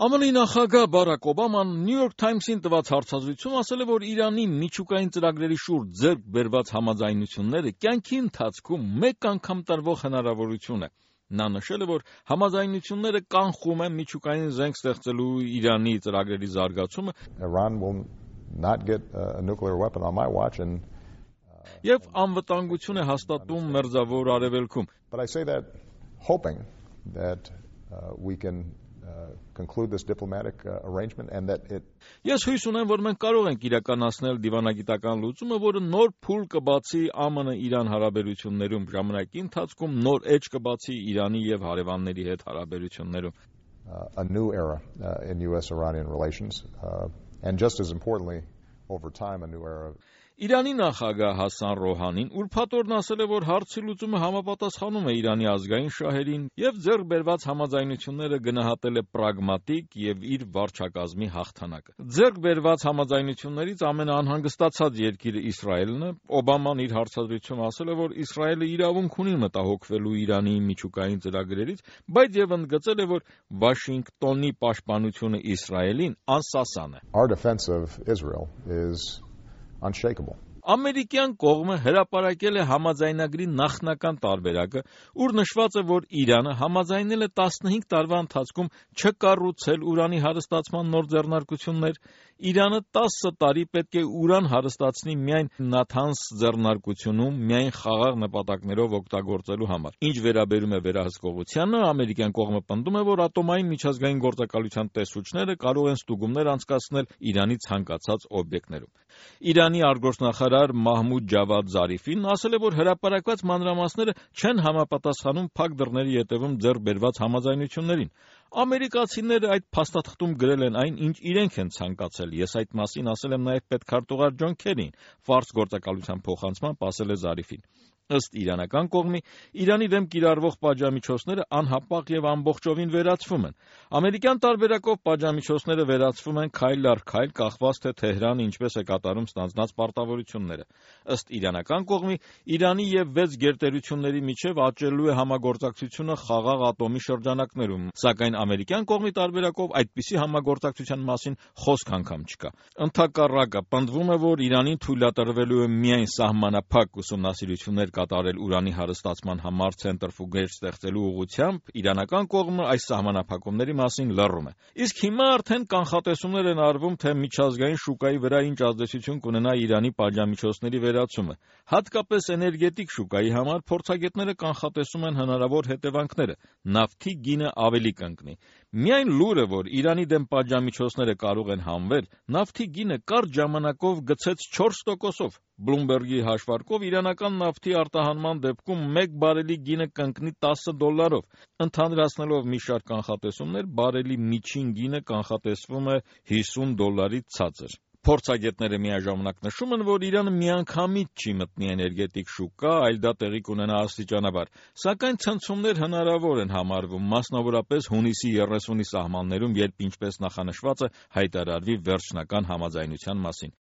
ԱՄՆ-ի նախագահ Բարաք Օբաման New York Times-ին տված հարցազրույցում ասել է, որ Իրանի միջուկային ծրագրերի շուրջ ձեռք բերված համաձայնությունները կյանքի ընթացքում մեկ անգամ տրվող հնարավորություն է։ Նա նշել է, որ համաձայնությունները կանխում են միջուկային զենք ստեղծելու Իրանի ծրագրերի զարգացումը և անվտանգություն է հաստատում Մերձավոր Արևելքում։ Ես հույս ունեմ, որ մենք կարող ենք իրականացնել դիվանագիտական լուծումը, որը նոր փուլ կբացի ԱՄՆ-Իրան հարաբերություններում, ժամանակի ընթացքում նոր էջ կբացի Իրանի և հարևանների հետ հարաբերություններում։ A new era in US-Iranian relations, and just as importantly, over time, a new era. Իրանի նախագահ Հասան Ռոհանին ուրբաթ օրն ասել է, որ հարցի լուծումը համապատասխանում է Իրանի ազգային շահերին և ձեռք բերված համաձայնությունները գնահատել է պրագմատիկ և իր վարչակազմի հաղթանակը։ Ձեռք բերված համաձայնություններից ամենաանհանգստացած երկիրը Իսրայելն է։ Օբաման իր հարցազրույցում ասել է, որ Իսրայելը իրավունք ունի մտահոգվելու Իրանի միջուկային ծրագրերից, բայց և ընդգծել է, որ Վաշինգտոնի պաշտպանությունը Իսրայելին անսասան է։ Our defense of Israel is unshakable. Ամերիկյան կողմը հրապարակել է համաձայնագրի նախնական տարբերակը, ուր նշված է, որ Իրանը համաձայնել է 15 տարվա ընթացքում չկառուցել ուրանի հարստացման նոր ձեռնարկություններ։ Իրանը 10 տարի պետք է ուրան հարստացնի միայն Նաթանս ձեռնարկությունում, միայն խաղաղ նպատակներով օգտագործելու համար։ Ինչ վերաբերում է վերահսկողությանը, ամերիկյան կողմը պնդում է, որ ատոմային միջազգային գործակալության տեսուչները կարող են ստուգումներ անցկացնել Իրանի ցանկացած օբյեկտներում։ Իրանի արտգործնախարար Մահմուդ Ջավադ Զարիֆին ասել է, որ հրապարակված մանրամասները չեն համապատասխանում փակ դռների ետևում ձեռք բերված համաձայնություններին։ Ամերիկացիները այդ փաստաթղթում գրել են այն, ինչ իրենք են ցանկացել։ Ես այդ մասին ասել եմ նաև պետքարտուղար Ջոն Քերին, ֆարս գործակալության փոխանցմամբ ասել է Զարիֆին։ Ըստ իրանական կողմի, Իրանի դեմ կիրառվող պատժամիջոցները անհապաղ և ամբողջովին վերացվում են։ Ամերիկյան տարբերակով պատժամիջոցները վերացվում են քայլ առ քայլ, կախված թե Թեհրանը ինչպես է կատարում ստանձնած պարտավորությունները։ Ըստ իրանական կողմի, Իրանի և 6 գերտերությունների միջև աճելու է համագործակցությունը խաղաղ ատոմի շրջանակներում, սակայն ամերիկյան կողմի տարբերակով այդպիսի համագործակցության մասին խոսք անգամ չկա։ Ընդհակառակը, պնդվում է, որ Իրանին թույլատրվելու է միայն սահմանափակ ուսումնասիրություններ կատարել ուրանի հարստացման համար ցենտրֆուգեր ստեղծելու ուղղությամբ, իրանական կողմը այս սահմանափակումների մասին լռում է։ Իսկ հիմա արդեն կանխատեսումներ են արվում, թե միջազգային շուկայի վրա ինչ ազդեցություն կունենա Իրանի պատժամիջոցների վերացումը։ Հատկապես էներգետիկ շուկայի համար փորձագետները կանխատեսում են հնարավոր հետևանքները։ Նավթի գինը ավելի կընկնի։ Միայն լուրը, որ Իրանի դեմ պատժամիջոցները կարող են հանվել, նավթի գինը կարճ ժամանակով գցեց 4%-ով։ Բլումբերգի հաշվարկով իրանական նավթի արտահանման դեպքում 1 բարելի գինը կընկնի $10։ Ընդհանրացնելով մի շարք կանխատեսումներ, բարելի միջին գինը կանխատեսվում է $50-ից ցածր։ Փորձագետները միաժամանակ նշում են, որ Իրանը միանգամից չի մտնի էներգետիկ շուկա, այլ դա տեղի կունենա աստիճանաբար։ Սակայն ցնցումներ հնարավոր են համարվում, մասնավորապես հունիսի 30-ի սահմաններում, երբ ինչպես նախանշված է հայտարարվի վերջնական համաձայնության մասին։